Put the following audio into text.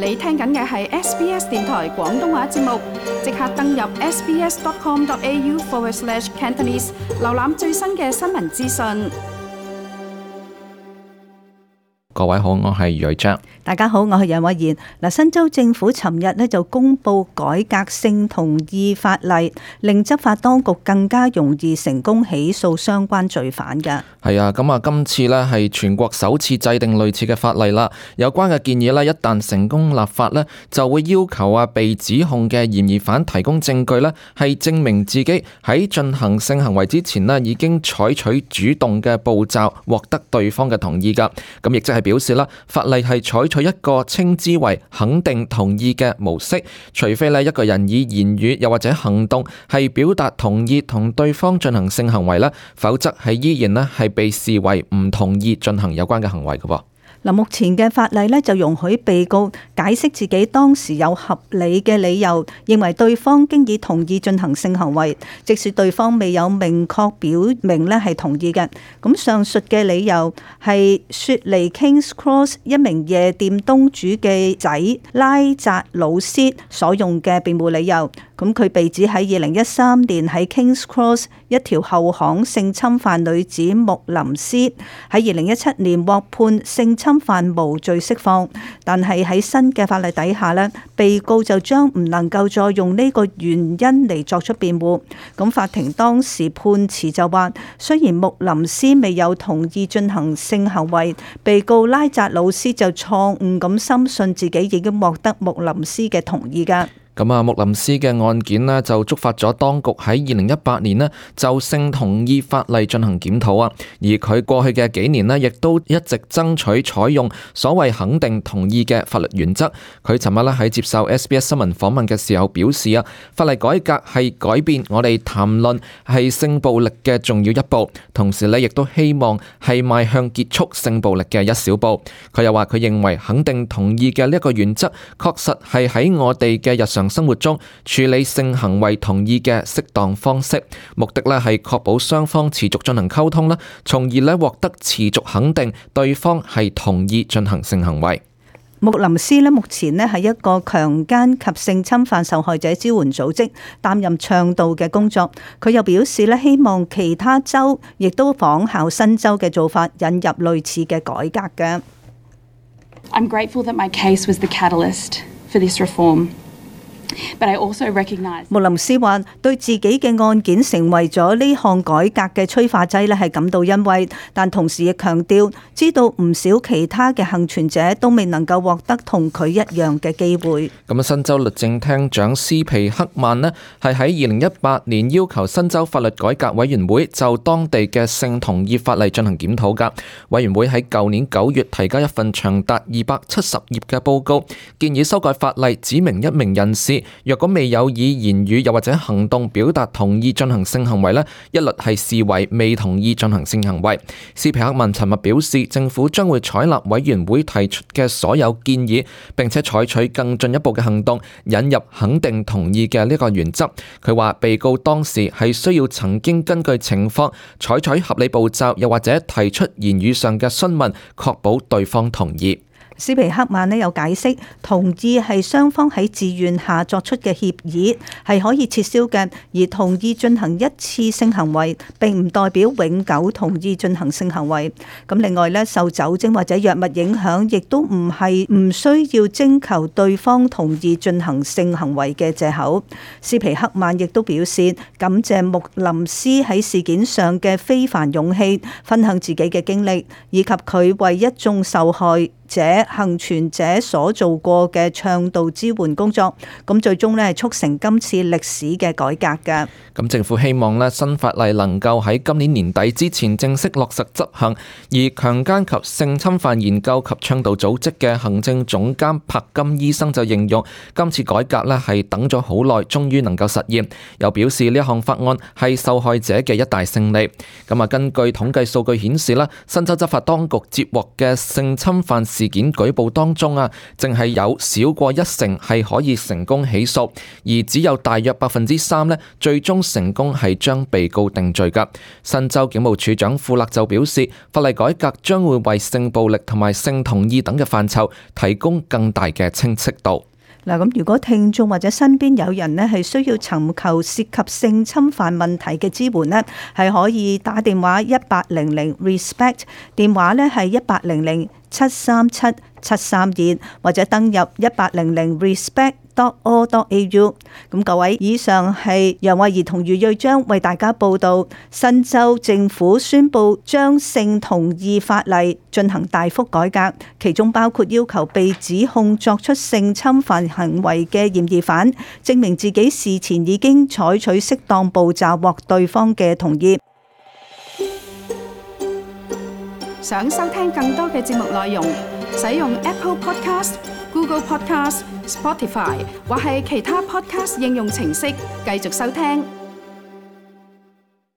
你聽緊嘅係 SBS 電台廣東話節目，即刻登入 sbs.com.au/Cantonese 瀏覽最新嘅新聞資訊。各位好，我係余偉章。大家好，我係楊慧賢。新州政府尋日咧就公布改革性同意法例，令執法當局更加容易成功起訴相關罪犯嘅。係啊，咁今次咧係全國首次制定類似嘅法例啦。有關嘅建議咧，一旦成功立法咧，就會要求被指控嘅嫌疑犯提供證據咧，係證明自己喺進行性行為之前咧已經採取主動嘅步驟，獲得對方嘅同意噶。咁亦即係表示啦，法例係採取一個稱之為肯定同意嘅模式，除非咧一個人以言語又或者行動係表達同意同對方進行性行為咧，否則係依然咧係被視為唔同意進行有關嘅行為嘅。目前嘅法例咧就容許被告解釋自己當時有合理嘅理由，認為對方經已同意進行性行為，即使對方未有明確表明咧係同意嘅。咁上述嘅理由係雪梨 Kings Cross 一名夜店東主嘅仔拉扎魯斯所用嘅辯護理由。咁佢被指喺2013年喺 Kings Cross 一條後巷性侵犯女子穆林斯，喺2017年獲判性侵犯無罪釋放，但係喺新嘅法例底下呢，被告就將唔能夠再用呢個原因嚟作出辯護。咁法庭當時判詞就話，雖然穆林斯未有同意進行性行為，被告拉扎魯斯就錯誤咁深信自己已經獲得穆林斯嘅同意㗎。穆林斯嘅案件呢，就觸發咗當局喺2018年呢就性同意法例進行檢討啊，而佢過去嘅幾年呢，亦都一直爭取採用所謂肯定同意嘅法律原則。佢尋日呢喺接受 SBS 新聞訪問嘅時候表示啊，法例改革係改變我哋談論係性暴力嘅重要一步，同時呢亦都希望係邁向結束性暴力嘅一小步。佢又話佢認為肯定同意嘅呢一個原則確實係喺我哋嘅日常生活中處理性行為同意嘅適當方式，目的咧係確保雙方持續進行溝通啦，從而咧獲得持續肯定對方係同意進行性行為。穆林斯咧目前咧係一個強姦及性侵犯受害者支援組織擔任倡導嘅工作。佢又表示咧希望其他州亦都仿效新州嘅做法，引入類似嘅改革嘅。I'm grateful that my case was the catalyst for this reform. But I also recognize 穆林斯話對自己嘅案件成為咗呢項改革嘅催化劑咧係感到欣慰，但同時亦強調知道唔少其他嘅幸存者都未能夠獲得同佢一樣嘅機會。咁新州律政廳長斯皮克曼呢係喺2018年要求新州法律改革委員會就當地嘅性同意法例進行檢討噶。委員會喺舊年9月提交一份長達270頁嘅報告，建議修改法例，指明一名人士若果未有以言語又或者行動表達同意進行性行為呢，一律係視為未同意進行性行為。斯皮克曼尋日表示，政府將會採納委員會提出嘅所有建議，並且採取更進一步嘅行動，引入肯定同意嘅呢個原則。佢話被告當時係需要曾經根據情況採取合理步驟，又或者提出言語上嘅詢問，確保對方同意。斯皮克曼有解釋，同意係雙方喺自願下作出嘅協議，係可以撤銷嘅，而同意進行一次性行為並唔代表永久同意進行性行為。咁另外咧，受酒精或者藥物影響，亦都唔係唔需要徵求對方同意進行性行為嘅藉口。斯皮克曼亦都表示感謝穆林斯喺事件上嘅非凡勇氣，分享自己嘅經歷，以及佢為一眾受害幸存者所做過嘅倡導支援工作，咁最終咧係促成今次歷史嘅改革嘅。咁政府希望咧新法例能夠喺今年年底之前正式落實執行。而強姦及性侵犯研究及倡導組織嘅行政總監柏金醫生就形容今次改革咧係等咗好耐，終於能夠實現。又表示呢一項法案係受害者嘅一大勝利。咁根據統計數據顯示啦，新州執法當局接獲嘅性侵犯事事件舉報當中啊，淨係有少過1成係可以成功起訴，而只有大約3%呢最終成功係將被告定罪㗎。新州警務處長庫勒就表示，法例改革將會為性暴力同埋性同意等嘅範疇提供更大嘅清晰度。嗱，咁如果聽眾或者身邊有人呢係需要尋求涉及性侵犯問題嘅支援呢，係可以打電話1800 RESPECT， 電話呢係1800-737-732，或者登入1800 respect.org.au。 咁各位，以上係楊慧儀同余瑞章為大家報道，新州政府宣布將性同意法例進行大幅改革，其中包括要求被指控作出性侵犯行為嘅嫌疑犯證明自己事前已經採取適當步驟獲對方嘅同意。想收聽更多嘅節目內容，使用 Apple Podcast、Google Podcast、Spotify 或係其他 Podcast 應用程式繼續收聽。